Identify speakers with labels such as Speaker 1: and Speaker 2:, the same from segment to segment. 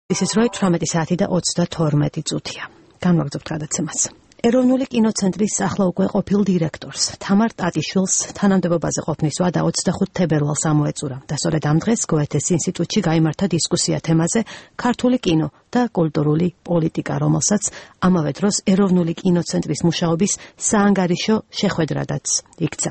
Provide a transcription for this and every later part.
Speaker 1: This is right 18 საათი და 32 წუთია. განვაგრძობთ გადაცემას. ეროვნული კინოცენტრის ახლა უკვე ყოფილ დირექტორს თამარ ტატიშვილს თანამდებობაზე ყოფნის ვადა 25 თებერვალს ამოეწურა და სწორედ ამ დღეს გოეთეს ინსტიტუტში გაიმართა დისკუსია თემაზე ქართული კინო და კულტურული პოლიტიკა, რომელსაც ამავე დროს ეროვნული კინოცენტრის მუშაობის საანგარიშო შეხვედრადაც იქცა.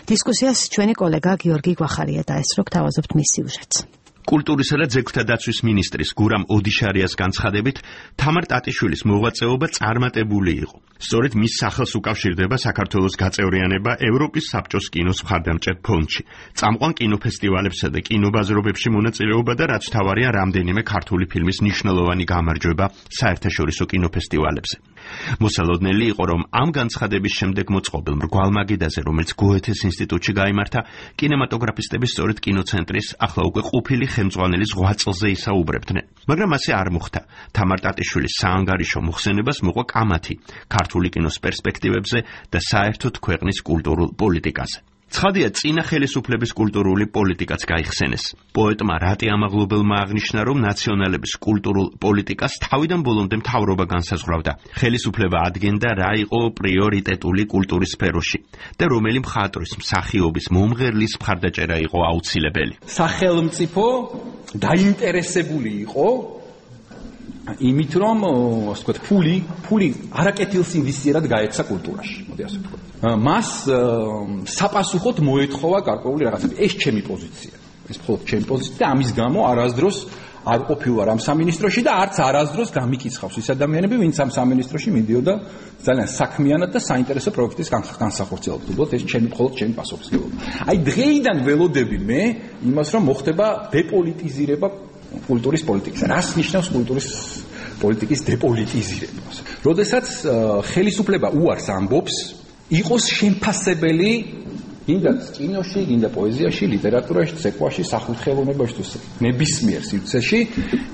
Speaker 1: დისკუსიას ჩვენი კოლეგა გიორგი გვახარია დაესწრო, გთავაზობთ მის სიუჟეტს.
Speaker 2: კულტურისა და ძეგლთა დაცვის მინისტრის გურამ ოდიშარიას განცხადებით, თამარ ტატიშვილის მოღვაწეობა წარმატებული იყო. სწორედ მის სახელს უკავშირდება საქართველოს გაწევრიანება ევროპის საბჭოს კინოს მხარდამჭერ ფონდში, წამყვან კინოფესტივალებსა და კინობაზრობებში მონაწილეობა და რაც თავარია რამდენიმე ქართული ფილმის მნიშვნელოვანი გამარჯვება საერთაშორისო კინოფესტივალებზე. მოსალოდნელი იყო, რომ ამ განცხადების შემდეგ მოწყობილ მრგვალ მაგიდაზე, რომელიც გოეთეს ინსტიტუტში გაიმართა, კინემატოგრაფისტები სწორედ კინოცენტრის ახლა უკვე ყოფილი ხელმძღვანელი ზღვაწლზე ისაუბრებდნენ. მაგრამ ასე არ მოხდა. თამარ ტატიშვილის საანგარიშო მოხსენებას მოყვა კამათი ქართული კინოს პერსპექტივებზე და საერთოდ ქვეყნის კულტურულ პოლიტიკაზე. ცხადია, წინა ხელისუფლების კულტურული პოლიტიკაც გაიხსენეს. პოეტმა რატი ამაღლობელმა აღნიშნა, რომ ნაციონალების კულტურულ პოლიტიკას თავიდან ბოლომდე მთავრობა განსაზღვრავდა. ხელისუფლება ადგენდა რა იყო პრიორიტეტული კულტურის სფეროში და რომელი მხატვრის მსახიობის მომღერლის მხარდაჭერა იყო აუცილებელი.
Speaker 3: სახელმწიფო დაინტერესებული იყო იმით, რომ ასე ვთქვათ, ფული არაკეთილს ინვესტირად გაეცა კულტურაში. მოდი ასე ვთქვათ. მას საპასუხოდ მოეთხოვა გარკვეული რაღაცები. ეს ჩემი პოზიცია. ეს მხოლოდ ჩემი პოზიცია და ამის გამო არასდროს არ ყოფილვარ ამ სამინისტროში და არც არასდროს გამიკიცხავს ის ადამიანები, ვინც ამ სამინისტროში მიდიოდა ძალიან საქმიანად და საინტერესო პროექტის განსახორციელებლად. უბრალოდ ეს მხოლოდ ჩემი პასუხისმგებლობა. აი დღეიდან ველოდები მე იმას, რომ მოხდება დეპოლიტიზირება კულტურის პოლიტიკისა. რას ნიშნავს კულტურის პოლიტიკის დეპოლიტიზირება? როდესაც ხელისუფლება უარს ამბობს, იყოს შემფასებელი გინდა კინოში, გინდა პოეზიაში, ლიტერატურაში, ცეკვაში, სახუთხელოვნებაში თუ ნებისმიერ სივრცეში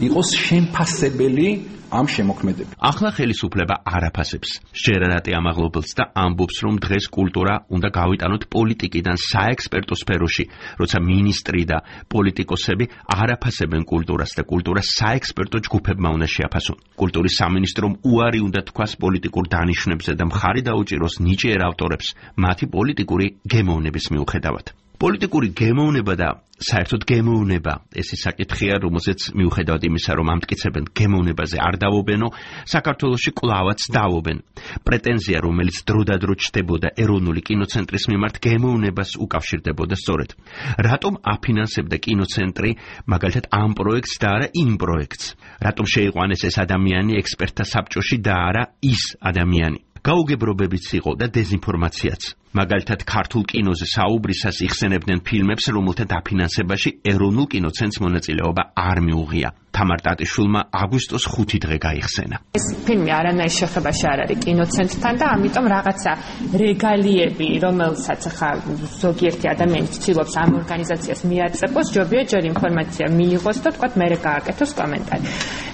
Speaker 3: იყოს შემფასებელი ამ შემოქმედები.
Speaker 2: ახლა ხელისუფლება არაფასებს. შეერარატი ამაღლობელს და ამბობს, რომ დღეს კულტურა უნდა გავიტანოთ პოლიტიკიდან საექსპერტო სფეროში, როცა მინისტრი და პოლიტიკოსები არაფასებენ კულტურას და კულტურა საექსპერტო ჯგუფებმა უნდა შეაფასონ. კულტურის სამინისტრომ უარი უნდა თქვას პოლიტიკურ დანიშვნებზე და მხარი დაუჭიროს ნიჭიერ ავტორებს მათი პოლიტიკური გემოვნების მიუხედავად. პოლიტიკური გემოვნება და საერთოდ გემოვნება ეს ის საკითხია, რომელზეც მიუხედავად იმისა, რომ ამტკიცებენ გემოვნებაზე არ დავობენო, საქართველოში კვლავაც დავობენ. პრეტენზია, რომელიც დროდადრო ჩნდებოდა ეროვნული კინოცენტრის მიმართ, გემოვნებას უკავშირდებოდა სწორედ. რატომ აფინანსებდა კინოცენტრი მაგალითად ამ პროექტს და არა იმ პროექტს? რატომ შეიყვანეს ეს ადამიანი ექსპერტთა საბჭოში და არა ის ადამიანი? გაუგებრობებიც იყო და დეზინფორმაციაც. მაგალითად, ქართულ კინოზე საუბრისას იხსენებდნენ ფილმებს, რომელთა დაფინანსებაში ეროვნულ კინოცენტრს მონაწილეობა არ მიუღია. თამარ ტატიშვილმა აგვისტოს 5 დღე გაიხსენა.
Speaker 4: ეს ფილმი არანაირ შეხებაში არ არის კინოცენტრთან და ამიტომ რაღაცა რეგალიები, რომელსაც ახლა ზოგიერთი ადამიანი ცდილობს ამ ორგანიზაციას მიაწებოს, ჯობია ჯერ ინფორმაცია მიიღოს და თქვათ მერე გააკეთოს კომენტარი.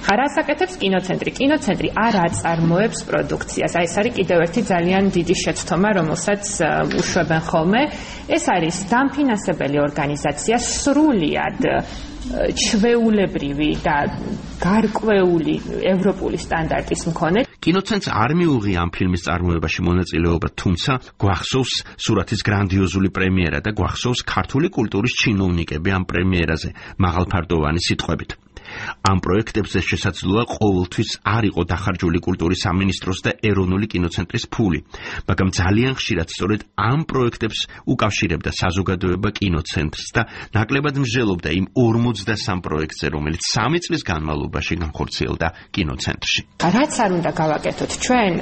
Speaker 4: რას აკეთებს კინოცენტრი? კინოცენტრი არ აწარმოებს პროდუქციას. აი ეს არის კიდევ ერთი ძალიან დიდი შეცდომა, რომელსაც უშვებენ ხოლმე. ეს არის დამფინანსებელი ორგანიზაცია, სრულიად ჩვეულებრივი და გარკვეული ევროპული სტანდარტის მქონე.
Speaker 2: კინოცენტრს არ მიუღია ამ ფილმის წარმოებაში მონაწილეობა, თუმცა გვახსოვს სურათის გრანდიოზული პრემიერა და გვახსოვს ქართული კულტურის ჩინოვნიკები ამ პრემიერაზე მაღალფარდოვანი სიტყვებით. ამ პროექტებზე შესაძლოა ყოველთვის არ იყო დახარჯული კულტურის სამინისტროს და ეროვნული კინოცენტრის ფული, მაგრამ ძალიან ხშირად სწორედ ამ პროექტებს უკავშირებდა საზოგადოება კინოცენტრს და ნაკლებად მსჯელობდა იმ 43 პროექტზე, რომელიც 3 წლის განმავლობაში განხორციელდა კინოცენტრში.
Speaker 4: რაც არ უნდა გავაკეთოთ ჩვენ,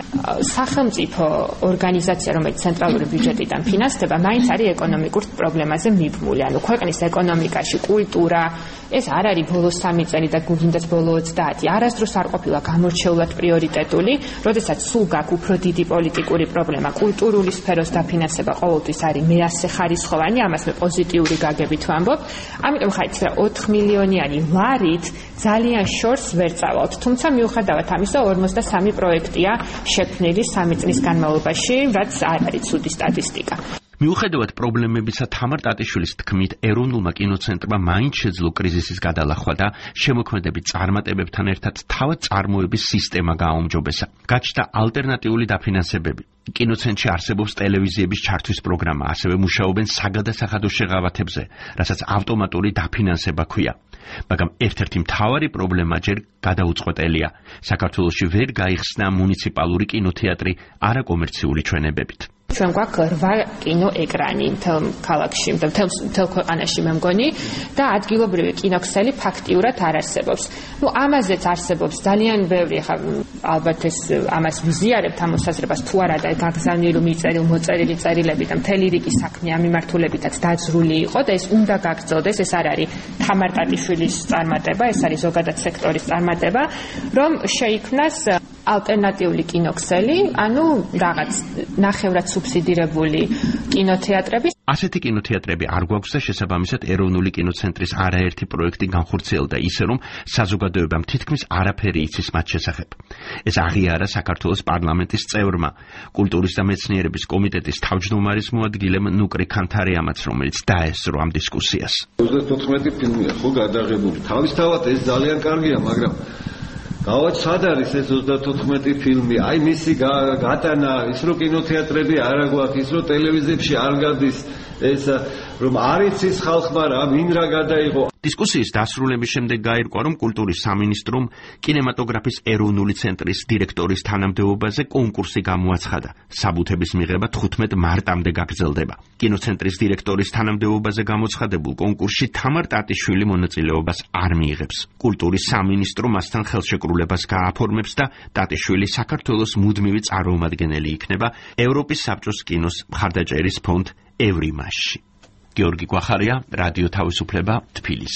Speaker 4: სახელმწიფო ორგანიზაცია, რომელიც ცენტრალური ბიუჯეტიდან ფინანსდება, მაინც არის ეკონომიკურ პრობლემაზე მიბმული. ანუ ქვეყნის ეკონომიკაში კულტურა ეს არ არის ბოლოს 3 წელი და გუნდაც ბოლო 30 არასდროს არ ყოფილა გამორჩეულად პრიორიტეტული, როდესაც სულ გაქვს უფრო დიდი პოლიტიკური პრობლემა, კულტურული სფეროს დაფინანსება ყოველთვის არის მეასე ხარისხოვანი, ამას მე პოზიტიური გაგებით ვამბობ. ამიტომ ხაით 4 მილიონიანი ლარით ძალიან შორს ვერ წავალთ, თუმცა მიუხედავად ამისა 53 პროექტია შექმნილი 3 წლის განმავლობაში, რაც არ არის ცუდი სტატისტიკა.
Speaker 2: მიუხედავად პრობლემებისა, თამარ ტატიშვილის თქმით, ეროვნულმა კინოცენტრმა მაინც შეძლო კრიზისის გადალახვა და შემოქმედებით წარმატებებთან ერთად თავად წარმოების სისტემა გააუმჯობესა. გაჩნდა ალტერნატიული დაფინანსებები. კინოცენტრში არსებობს ტელევიზიების ჩართვის პროგრამა, ასევე მუშაობენ საგადასახადო შეღავათებზე, რასაც ავტომატური დაფინანსება ჰქვია. მაგრამ ერთ-ერთი მთავარი პრობლემა ჯერ გადაუწყვეტელია. საქართველოში ვერ გაიხსნა მუნიციპალური კინოთეატრი არაკომერციული ჩვენებებით.
Speaker 4: ჩვენ გვაქვს 8 კინოეკრანი მთელ ქალაქში, მთელ ქვეყანაში მე მგონი და ადგილობრივი კინოქსელი ფაქტიურად არ არსებობს. ამაზეც არსებობს ძალიან ბევრი, ალბათ ეს ამას ვიზიარებთ ამ მოსაზრებას თუ არა და გაგზავნილი მოწერილი წერილები და მთელი რიგი საქმე ამ მიმართულებითაც დაძრული იყო და ეს უნდა გაგრძელდეს, ეს არ არის თამარ ტატიშვილის წარმატება, ეს არის ზოგადად სექტორის წარმატება, რომ შეიქმნას ალტერნატიული კინოქსელი, ანუ რაღაც ნახევრად სუბსიდირებული კინოთეატრები.
Speaker 2: ასეთი კინოთეატრები არ გვაქვს და შესაბამისად ეროვნული კინოცენტრის არაერთი პროექტი განხორციელდა ისე, რომ საზოგადოებამ თითქმის არაფერი იცის მათ შესახებ. ეს აღიარა საქართველოს პარლამენტის წევრმა, კულტურის და მეცნიერების კომიტეტის თავმჯდომარის მოადგილემ ნუკრი ქანთარიამაც, რომელიც დაესწრო ამ დისკუსიას.
Speaker 5: 34 ფილმია ხო გადაღებული. თავისთავად ეს ძალიან კარგია, მაგრამ გავაც სად არის ეს 34 ფილმი? აი მისი გატანა, ის რო კინოთეატრები არ აგვაქვს, ის რო ტელევიზიებში არ გადის, ეს რომ არ იცის ხალხმა რა, ვინ რა გადაიღო.
Speaker 2: დისკუსიის დასრულების შემდეგ გაირკვა, რომ კულტურის სამინისტრომ კინემატოგრაფის ეროვნული ცენტრის დირექტორის თანამდებობაზე კონკურსი გამოაცხადა. საბუთების მიღება 15 მარტამდე გაგრძელდება. კინოცენტრის დირექტორის თანამდებობაზე გამოცხადებულ კონკურსში თამარ ტატიშვილი მონაწილეობას არ მიიღებს. კულტურის სამინისტრო მასთან ხელშეკრულებას გააფორმებს და ტატიშვილი საქართველოს მუდმივი წარმომადგენელი იქნება ევროპის საბჭოს კინოს მხარდაჭერის ფონდ ევრიმაში. გიორგი გვახარია, რადიო თავისუფლება, თბილისი.